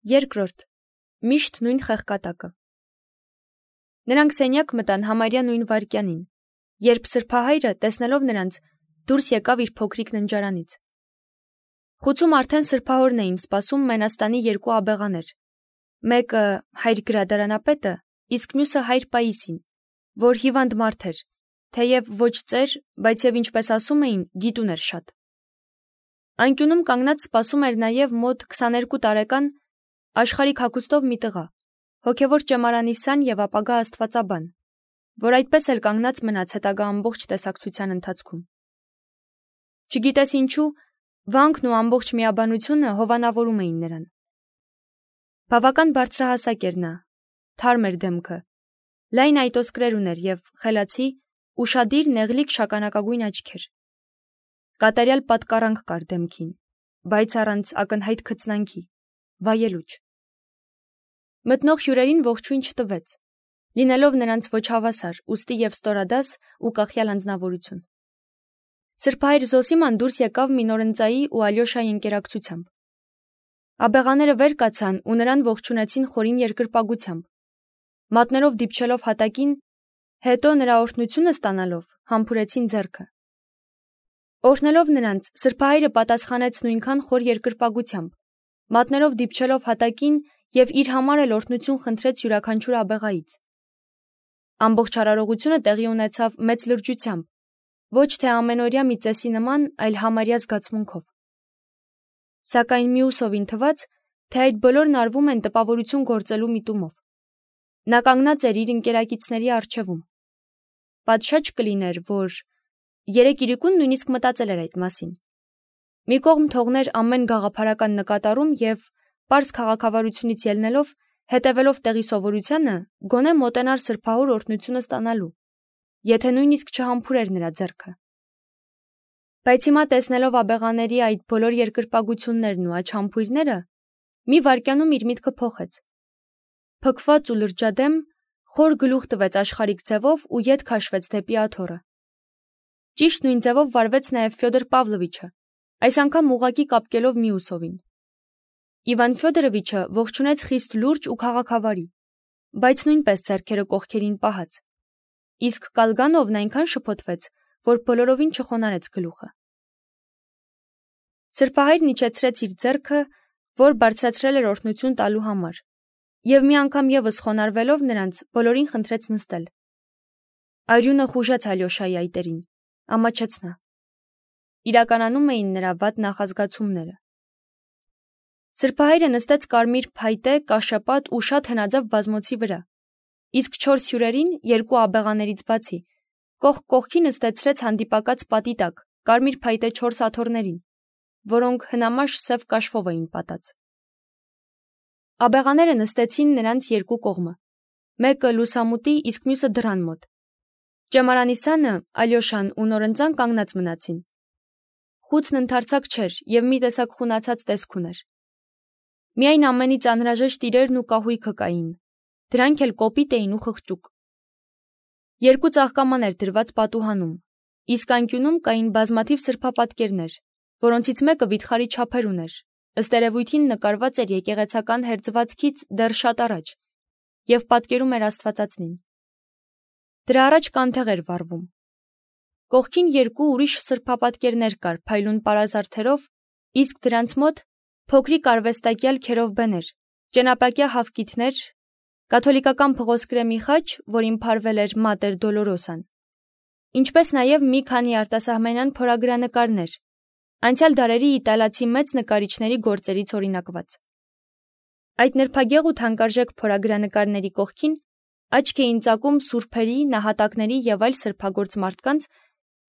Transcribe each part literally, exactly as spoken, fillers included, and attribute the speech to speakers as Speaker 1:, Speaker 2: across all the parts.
Speaker 1: Երկրորդ. միշտ նույն խեղկատակը։ Նրանք սենյակ մտան համարյա նույն վայրկյանին, երբ սրբահայրը, տեսնելով նրանց, դուրս եկավ իր փոքրիկ ննջարանից։ Խուցում արդեն սրբահորն էին սպասում Մենաստանի երկու աբեղաներ, մեկը հայր գրադարանապետը, իսկ մյուսը հայր Պաիսին, որ հիվանդ մարդ էր, թեև ոչ ծեր, բայց և ինչպես ասում էին, գիտուն էր շատ։ Անկյունում կանգնած սպասում էր նաև մոտ քսաներկու տարեկան աշխարհիկ հագուստով մի տղա, հոգևոր ճեմարանիսան և ապագա աստվածաբան, որ այդպես էլ կանգնած մնաց հետագա ամբողջ տեսակցության ընթացքում։ Չգիտես ինչու, վանքն ու ամբողջ միաբանությունը հովանավորում էին նրան։ Բավական բարձրահասակ էր նա, թարմ էր դեմքը, լայն այտոսկրեր ուներ և խելացի, ուշադիր, նեղլիկ շագանակագույն աչքեր։ Կատարյալ պատկառանք կար դեմքին, բայց առանց ակնհայտ քծնանքի, վայելուչ։ Մտնող հյուրերին ողջույն չտվեց, լինելով նրանց ոչ հավասար, ուստի և ստորադաս ու կախյալ անձնավորություն։ Սրբահայր Զոսիման դուրս եկավ մի նորընծայի ու Ալյոշայի ընկերակցությամբ։ Աբեղաները վեր կացան ու նրան ողջունեցին խորին երկրպագությամբ, մատներով դիպչելով հատակին, հետո նրա օրհնությունը ստանալով համբուրեցին ձեռքը։ Օրհնելով նրանց, սրբահայրը պատասխանեց նույնքան խոր երկրպագությամբ, մատներով դիպչելով հատակին և իր համար էլ օրհնություն խնդրեց յուրաքանչյուր աբեղայից։ Ամբողջ արարողությունը տեղի ունեցավ մեծ լրջությամբ, ոչ թե ամենօրյա մի ծեսի նման, այլ համարյա զգացմունքով։ Սակայն մյուսովին թվաց, թե այդ բոլորն արվում են տպավորություն գործելու միտումով։ Նա կանգնած էր իր ընկերակիցների առջևում։ Պատշաճ կլիներ, որ երեք իրիկուն նույնիսկ մտածել էր այդ մասին։ Մի կողմ թողներ ամեն գաղափարական նկատառում և, պարզ քաղաքավարությունից ելնելով, հետևելով տեղի սովորությանը, գոնե մոտենար սրբահոր օրհնությունը ստանալու, եթե նույնիսկ չհամբուրեր նրա ձեռքը։ Բայց հիմա տեսնելով աբեղաների այդ բոլոր երկրպագություններն ու աչհամբույրները, մի վայրկյանում իր միտքը փոխեց։ Փքված ու լրջադեմ, խոր գլուխ տվեց աշխարհիկ ձևով ու ետ քաշվեց դեպի աթոռը։ Ճիշտ նույն ձևով վարվեց նաև Ֆյոդոր Պավլովիչը, այս անգամ ուղղակի կապկելով Միուսովին։ Իվան Ֆյոդորովիչը ողջունեց խիստ լուրջ ու քաղաքավարի, բայց նույնպես ձեռքերը կողքերին պահած, իսկ Կալգանովն այնքան շփոթվեց, որ բոլորովին չխոնարհեց գլուխը։ Սրբահայրն իջեցրեց իր ձեռքը, որ բարձրացրել էր օրհնություն տալու համար, և մի անգամ ևս խոնարհվելով նրանց, բոլորին խնդրեց նստել։ Արյունը խուժեց Ալյոշայի այտերին, ամաչեց նա։ Իրականանում էին նրա վատ նախազգացումները։ Սրբահայրը նստեց կարմիր փայտե, կաշեպատ ու շատ հնաձև բազմոցի վրա, իսկ չորս հյուրերին, երկու աբեղաներից բացի, կողք կողքի նստեցրեց հանդիպակաց պատի տակ, կարմիր փայտե չորս աթոռներին, որոնք հնամաշ սև կաշվով էին պատած։ Աբեղաները նստեցին նրանց երկու կողմը, մեկը լուսամուտի, իսկ մյուսը դռան մոտ։ Ճեմարանիսանը, Ալյոշան ու նորընծան կանգնած մնացին։ Խուցն ընդարձակ չէր և մի տեսակ խունացած տեսք ուներ։ Միայն ամենից անհրաժեշտ իրերն ու կահույքը կային, դրանք էլ կոպիտ էին ու խղճուկ։ Երկու ծաղկամաներ դրված պատուհանում, իսկ անկյունում կային բազմաթիվ սրբապատկերներ, որոնցից մեկը վիթխարի չափեր ուներ, ըստ երևույթին նկարված էր եկեղեցական հերձվածքից դեռ շատ առաջ և պատկերում էր Աստվածածնին։ Դրա առաջ կանթեղ էր վառվում։ Կողքին երկու ուրիշ սրբապատկերներ կար փայլուն պարազարդերով, իսկ դրանց մոտ փոքրիկ արվեստակյալ քերովբեներ, ճենապակյա հավկիթներ, կաթոլիկական փղոսկրեմի խաչ, որին փարվել էր Մատեր Դոլորոսան, ինչպես նաև մի քանի արտասահմանյան փորագրանկարներ, անցյալ դարերի իտալացի մեծ նկարիչների գործերից օրինակված։ Այդ նրբագեղ ու թանկարժեք փորագրանկարների կողքին աչք էին ծակում սուրբերի, նահատակների և այլ սրբագործ մարդկանց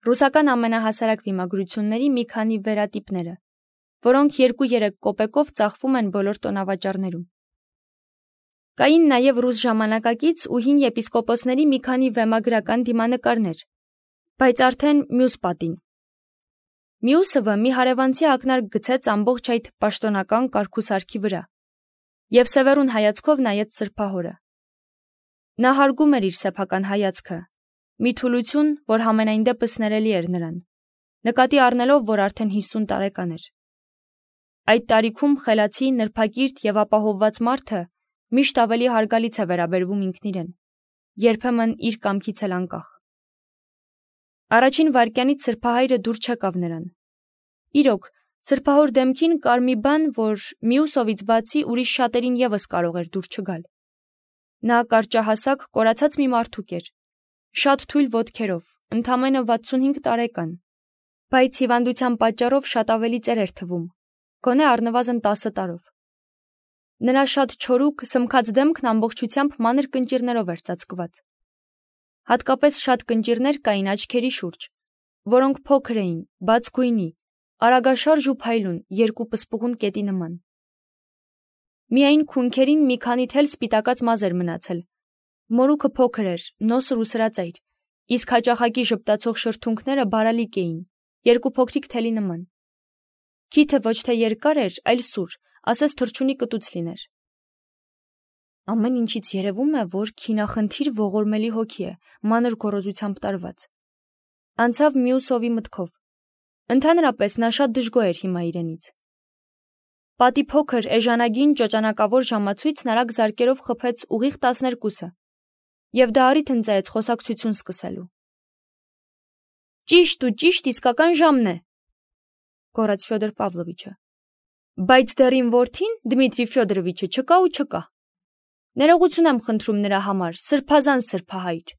Speaker 1: ռուսական ամենահասարակ վիմագրությունների մի քանի վերատիպները, որոնք երկու-երեք կոպեկով ծախվում են բոլոր տոնավաճառներում։ Կային նաև ռուս ժամանակակից ու հին եպիսկոպոսների մի քանի վեմագրական դիմանկարներ, բայց արդեն մյուս պատին։ Մյուսը մի հարևանցի ակնարկ գցեց ամբողջ այդ պաշտոնական կարգուսարքի վրա և սևեռուն հայացքով նայեց սրբահորը։ Նա հարգում էր իր սեփական հայացքը, մի թուլություն, որ համենայն դեպս ներելի էր նրան, նկատի առնելով, որ արդեն հիսուն տարեկան էր։ Այդ տարիքում խելացի, նրբակիրթ եւ ապահովված մարդը միշտ ավելի հարգալից է վերաբերվում ինքն իրեն, երբեմն իր կամքից էլ անկախ։ Առաջին վայրկյանից սրբահայրը դուր չեկավ նրան։ Իրոք, սրբահոր դեմքին կար մի բան, որ մյուսովից բացի ուրիշ շատերին եւս կարող էր դուր չգալ։ Նա կարճահասակ, կորացած մի մարդուկ էր, շատ թույլ ոտքերով, ընդամենը վաթսունհինգ տարեկան, բայց հիվանդության պատճառով շատ ավելի ծեր էր թվում, գոնե առնվազն տասը տարով։ Նրա շատ չորուկ, սմքած դեմքն ամբողջությամբ մանր կնճիռներով էր ծածկված։ Հատկապես շատ կնճիռներ կային աչքերի շուրջ, որոնք փոքր էին, բաց գույնի, արագաշարժ ու փայլուն, երկու պսպղուն կետի նման։ Միայն քունքերին մի քանի թել սպիտակած մազ էր մնացել։ Մորուքը փոքր էր, նոսր ու սրածայր, իսկ հաճախակի ժպտացող շրթունքները բարալիկ էին, երկու փոքրիկ թելի նման։ Քիթը ոչ թե երկար էր, այլ սուր, ասես թռչունի կտուց լիներ։ Ամեն ինչից երևում է, որ քինախնդիր ողորմելի հոգի է, մանր գոռոզությամբ տարված։ Անցավ մյուսովի մտքով։ Ընդհանրապես նա շատ դժգոհ էր հիմա իրենից։ Պատի փոքր, էժանագին ճոճանակավոր ժամացույցն արագ զարկերով խփեց ուղիղ տասներկուսը, եւ դա առիթ ընծայեց խոսակցություն սկսելու։ Ճիշտ ու ճիշտ իսկական ժամն է, գոռաց Ֆյոդոր Պավլովիչը։ Բայց դեռ իմ որդին, Դմիտրի Ֆյոդորովիչը, չկա ու չկա։ Ներողություն եմ խնդրում նրա համար, սրբազան սրբահայր։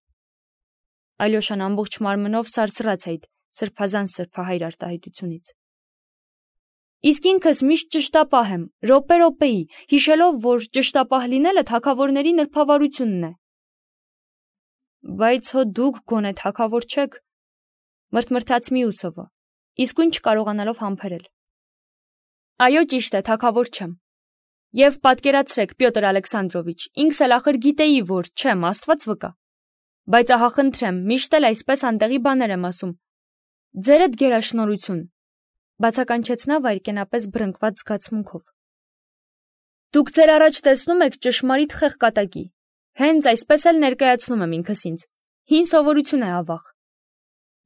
Speaker 1: Ալյոշան ամբողջ մարմնով սարսռաց այդ սրբազան սրբահայր արտահայտությունից։ Իսկ ինքս միշտ ճշտապահ եմ, րոպե-րոպեի, հիշելով, որ ճշտապահ լինելը թագավորների նրբավարությունն է։ Բայց հո դուք գոնե թագավոր չեք, մրթմրթաց Միուսովը, իսկույն չկարողանալով համբերել։ Այո, ճիշտ է, թագավոր չեմ։ Եվ պատկերացրեք, Պյոտր Ալեքսանդրովիչ, ինքս էլ ախր գիտեի, որ չեմ, Աստված վկա։ Բայց ահա խնդրեմ, միշտ էլ այսպես անտեղի բաներ եմ ասում։ Ձերդ գերաշնորհություն, բացականչեց նա վայրկենապես բռնկված զգացմունքով։ Դուք ձեր առաջ տեսնում եք ճշմարիտ խեղկատակի։ Հենց այսպես էլ ներկայացնում եմ ինքս ինձ։ Հին սովորություն է ավաղ։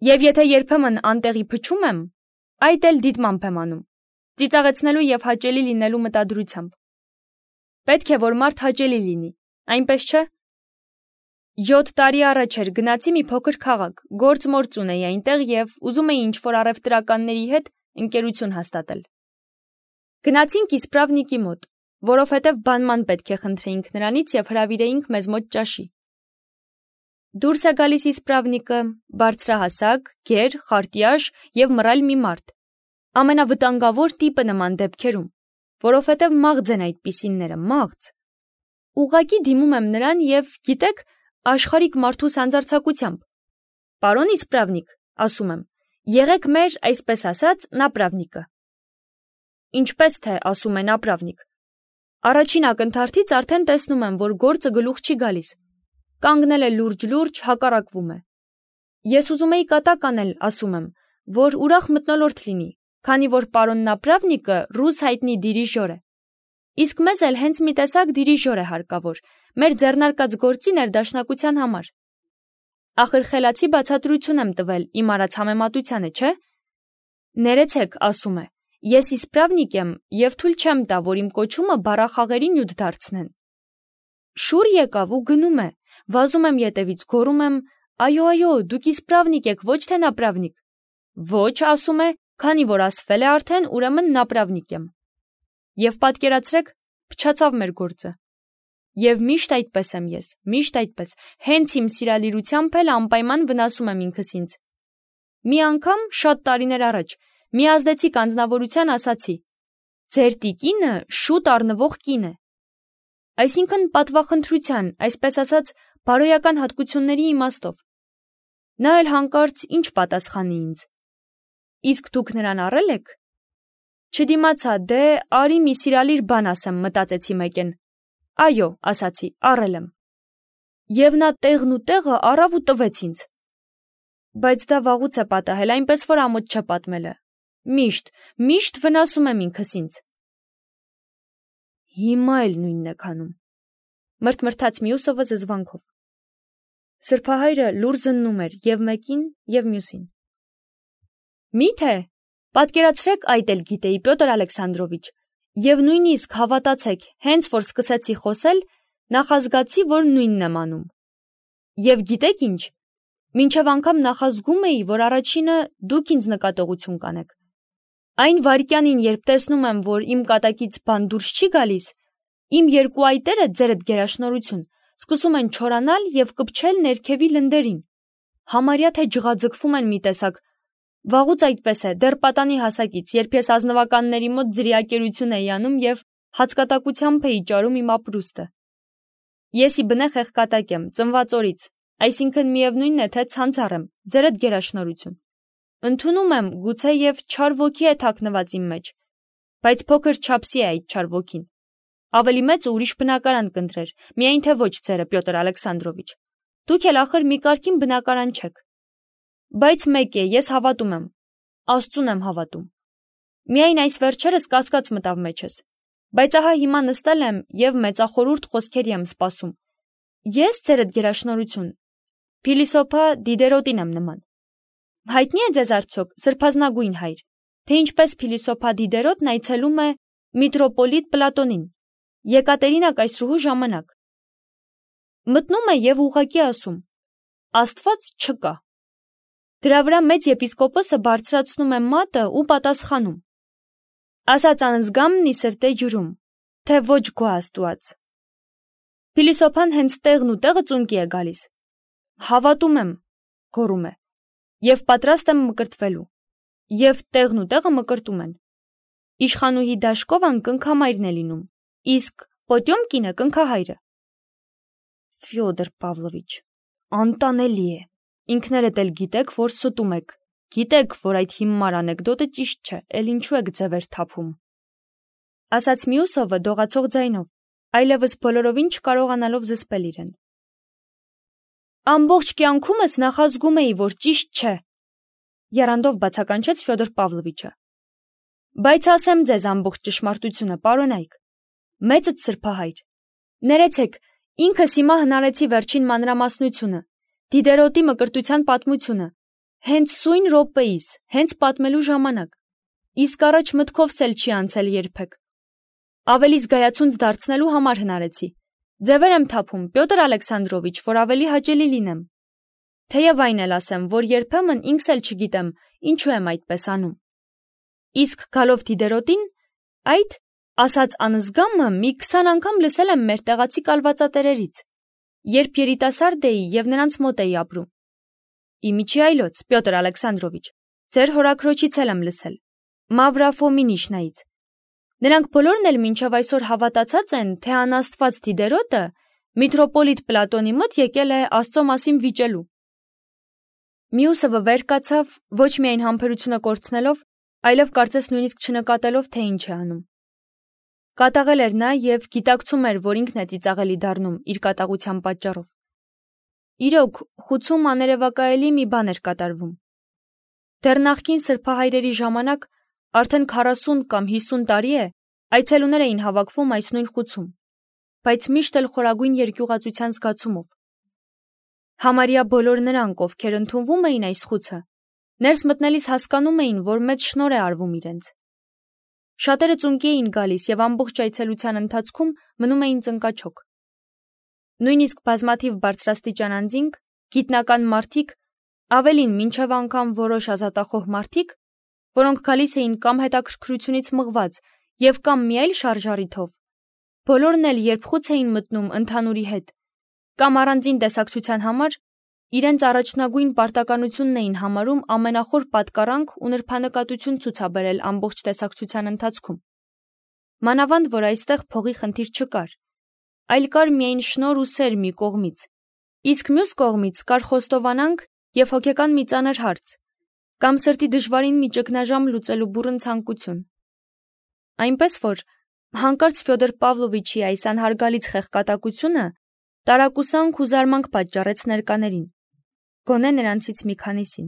Speaker 1: Եվ եթե երբեմն անտեղի փչում եմ, այդ էլ դիտմամբ եմ անում, ծիծաղեցնելու եւ հաճելի լինելու մտադրությամբ։ Պետք է որ մարդ հաճելի լինի, այնպես չէ։ Յոթ տարի առաջ էր գնացի մի փոքր քաղաք, գործ-մործ ունեի այնտեղ եւ ուզում էի ինչ-որ առևտրականների հետ ընկերություն հաստատել։ Գնացինք իսպրավնիկի մոտ, որովհետև բանման պետք է խնդրեինք նրանից եւ հրավիրեինք մեզ մոտ ճաշի։ Դուրս է գալիս իսպրավնիկը, բարձրահասակ, գեր, խարտյաշ եւ մռայլ մի մարդ, ամենավտանգավոր տիպը նման դեպքերում, որովհետև մաղձ են այդպիսինները, մաղձ։ Ուղղակի դիմում եմ նրան եւ, գիտեք, աշխարհիկ մարդու սանձարձակությամբ։ Պարոն իսպրավնիկ, ասում եմ, եղեք մեր, այսպես ասած, նապրավնիկը։ Ինչպես թե ասում է նապրավնիկ։ Առաջին ակնթարթից արդեն տեսնում եմ, որ գործը գլուխ չի գալիս։ Կանգնել է լուրջ-լուրջ, հակառակվում է։ Ես ուզում էի կատակ անել, ասում եմ, որ ուրախ մթնոլորտ լինի, քանի որ պարոն նապրավնիկը ռուս հայտնի դիրիժոր է։ Իսկ մեզ էլ հենց մի տեսակ դիրիժոր է հարկավոր, մեր ձեռնարկած գործի ներդաշնակության համար։ Ախր խելացի բացատրություն եմ տվել իմ արած համեմատությանը, չէ՞։ Ներեցեք, ասում է, ես իսպրավնիկ եմ եւ թույլ չեմ տա, որ իմ կոչումը բառախաղերի նյութ դարձնեն։ Շուռ եկավ ու գնում է, վազում եմ ետևից, գոռում եմ, այո, այո, դուք իսպրավնիկ եք, ոչ թե նապրավնիկ։ Ոչ, ասում է, քանի որ ասվել է արդեն, ուրեմն նապրավնիկ եմ։ Եվ պատկերացրեք, փչացավ մեր գործը։ Եվ միշտ այդպես եմ ես, միշտ այդպես, հենց իմ սիրալիրությամբ էլ անպայման վնասում եմ ինքս ինձ։ Մի անգամ, շատ տարիներ առաջ, մի ազդեցիկ անձնավորության ասացի. ձեր տիկինը շուտ առնվող կին է։ Այսինքն պատվախնդրության, այսպես ասած, բարոյական հատկությունների իմաստով։ Նա էլ հանկարծ ինչ պատասխանի ինձ։ Իսկ դուք նրան առել եք։ Չդիմացա, դե արի մի սիրալիր բան ասեմ, մտածեցի մեկեն։ Այո, ասացի, առել եմ։ Եվ նա տեղն ու տեղը առավ ու տվեց ինձ։ Բայց դա վաղուց է պատահել, այնպես որ ամոթ չէ պատմելը։ Միշտ, միշտ վնասում եմ ինքս ինձ։ Հիմա էլ նույնն է քանում։ Մրթմրթաց Մյուսովը զզվանքով։ Սրբահայրը լուր զննում էր եւ մեկին, եւ մյուսին։ Մի՞թե, Պատկերացրեք, այդ էլ գիտեի, Պյոտր Ալեքսանդրովիչ, եւ նույնիսկ հավատացեք, հենց որ սկսեցի խոսել, նախազգացի, որ նույնն եմ անում։ Եվ գիտեք ինչ, մինչև անգամ նախազգում էի, որ առաջինը դուք ինձ նկատողություն կանեք։ Այն վայրկյանին, երբ տեսնում եմ, որ իմ կատակից բան դուրս չի գալիս, իմ երկու այտերը, ձերդ գերաշնորհություն, սկսում են չորանալ եւ կպչել ներքևի լնդերին։ Համարյա թե ջղաձգվում են մի տեսակ։ Վաղուց այդպես է, դեռ պատանի հասակից, երբ ես ազնվականների մոտ ձրիակերություն էի անում եւ հացկատակությամբ էի ճարում իմ ապրուստը։ Ես ի բնե խեղկատակ եմ, ծնված օրից, այսինքն միևնույնն է, թե ցանցառ եմ, ձերդ գերաշնորհություն։ Ընդունում եմ, գուցե եւ չար ոգի է թաքնված իմ մեջ, բայց փոքր չափսի է այդ չար ոգին։ Ավելի մեծ ուրիշ բնակարան կընտրեր, միայն թե ոչ ձերը, Պյոտր Ալեքսանդրովիչ։ Դուք էլ ախր մի կարգին բնակարան չեք։ Բայց մեկ է, ես հավատում եմ, Աստծուն եմ հավատում։ Միայն այս վերջերս կասկած մտավ մեջս, բայց ահա հիմա նստել եմ եւ մեծախորհուրդ խոսքերի եմ սպասում։ Ես ձերդ գերաշնորհություն, փիլիսոփա Դիդերոտին եմ նման։ Հայտնի է ձեզ արդյոք սրբազնագույն հայր, թե ինչպես փիլիսոփա Դիդերոտն այցելում է միտրոպոլիտ Պլատոնին, Եկատերինա կայսրուհու ժամանակ։ Մտնում է եւ ուղղակի ասում. Աստված չկա։ Դրա վրա մեծ եպիսկոպոսը բարձրացնում է մատը ու պատասխանում. ասած անզգամն ի սրտե յուրում, թե ոչ գո Աստուած։ Փիլիսոփան հենց տեղն ու տեղը ծունկի է գալիս։ Հավատում եմ, գոռում է, եւ պատրաստ եմ մկրտվելու, եւ տեղն ու տեղը մկրտում են։ Իշխանուհի Դաշկովան կնքամայրն է լինում, իսկ Պոտյոմկինը կնքահայրը։ Ֆյոդոր Պավլովիչ, անտանելի է, ինքներդ էլ գիտեք, որ ստում եք, գիտեք, որ այդ հիմար անեկդոտը ճիշտ չէ, էլ ինչու եք ձևեր թափում։ Ասաց Մյուսովը դողացող ձայնով, այլևս բոլորովին չկարողանալով զսպել իրեն։ Ամբողջ կյանքումս նախազգում էի, որ ճիշտ չէ, եռանդով բացականչեց Ֆյոդոր Պավլովիչը։ Բայց ասեմ ձեզ ամբողջ ճշմարտությունը, պարոնայք, մեծդ սրբահայր, ներեցեք, ինքս հիմա հնարեցի վերջին մանրամասնությունը, Դիդերոտի մկրտության պատմությունը, հենց սույն րոպեիս, հենց պատմելու ժամանակ, իսկ առաջ մտքովս էլ չի անցել երբեք։ Ավելի զգայացունց դարձնելու համար հնարեցի։ Ձևեր եմ թափում, Պյոտր Ալեքսանդրովիչ, որ ավելի հաճելի լինեմ։ Թեև այն էլ ասեմ, որ երբեմն ինքս էլ չգիտեմ, ինչու եմ այդպես անում։ Իսկ գալով Դիդերոտին, այդ ասած անզգամը մի քսան անգամ լսել եմ մեր տեղացի կալվածատերերից, երբ երիտասարդ էի եւ նրանց մոտ էի ապրում։ Իմիջի այլոց, Պյոտր Ալեքսանդրովիչ, ձեր հորաքրոջից էլ եմ լսել, Մավրա Ֆոմինիշնայից։ Նրանք բոլորն էլ մինչև այսօր հավատացած են, թե անաստված Դիդերոտը միտրոպոլիտ Պլատոնի մոտ եկել է Աստծո մասին վիճելու։ Մյուսովը վեր կացավ, ոչ միայն համբերությունը կորցնելով, այլև կարծես նույնիսկ չնկատելով, թե ինչ է անում։ Կատաղել էր նա եւ գիտակցում էր, որ ինքն է ծիծաղելի դառնում իր կատաղության պատճառով։ Իրոք, խուցում աներևակայելի մի բան էր կատարվում։ Դեռ նախկին սրբահայրերի ժամանակ արդեն քառասուն կամ հիսուն տարի է այցելուներ էին հավաքվում այս նույն խուցում, բայց միշտ էլ խորագույն երկյուղածության զգացումով։ Համարյա բոլոր նրանք, ովքեր ընդունվում էին այս խուցը, ներս մտնելիս հասկանում էին, որ մեծ շնորհ է արվում իրենց։ Շատերը ծունկի էին գալիս եւ ամբողջ այցելության ընթացքում մնում էին ծնկաչոք։ Նույնիսկ բազմաթիվ բարձրաստիճան անձինք, գիտնական մարդիկ, ավելին մինչև անգամ որոշ ազատախոհ մարդիկ, որոնք գալիս էին կամ հետաքրքրությունից մղված եւ կամ մի այլ շարժառիթով, բոլորն էլ երբ խուց էին մտնում ընդհանուրի հետ, կամ առանձին տեսակցության համար, իրենց առաջնագույն պարտականությունն էին համարում ամենախոր պատկառանք ու նրբանկատություն ցուցաբերել ամբողջ տեսակցության ընթացքում։ Մանավանդ, որ այստեղ փողի խնդիր չկար, այլ կար միայն շնորհ ու սեր մի կողմից, իսկ մյուս կողմից կար խոստովանանք եւ հոգեկան մի ծանր հարց, կամ սրտի դժվարին մի ճգնաժամ լուծելու բուռն ցանկություն։ Այնպես որ հանկարծ Ֆյոդոր Պավլովիչի այս անհարգալից խեղկատակությունը տարակուսանք ու զարմանք պատճառեց ներկաներին, գոնե նրանցից մի քանիսին։